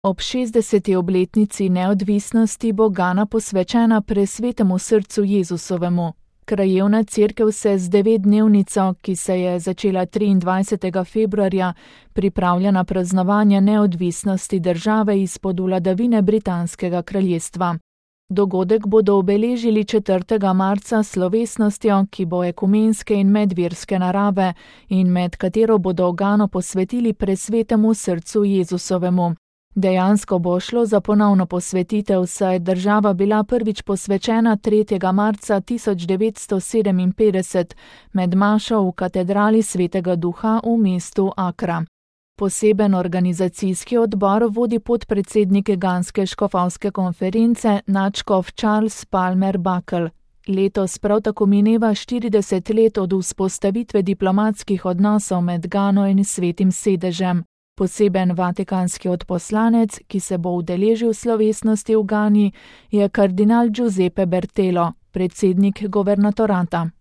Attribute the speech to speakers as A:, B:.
A: Ob 60. obletnici neodvisnosti bo Gana posvečena presvetemu srcu Jezusovemu. Krajevna cerkev se z 9-dnevnico, ki se je začela 23. februarja, pripravlja na praznovanje neodvisnosti države izpod vladavine Britanskega kraljestva. Dogodek bodo obeležili 4. marca s slovesnostjo, ki bo ekumenske in medverske narave in med katero bodo Gano posvetili presvetemu srcu Jezusovemu. Dejansko bo šlo za ponovno posvetitev, saj je država bila prvič posvečena 3. marca 1957 med mašo v katedrali Svetega Duha v mestu Akra. Poseben organizacijski odbor vodi podpredsednik Ganske škofovske konference nadškof Charles Palmer Buckle. Letos prav tako mineva 40 let od vzpostavitve diplomatskih odnosov med Gano in Svetim sedežem. Poseben vatikanski odposlanec, ki se bo udeležil slovesnosti v Gani, je kardinal Giuseppe Bertelo, predsednik guvernatorata.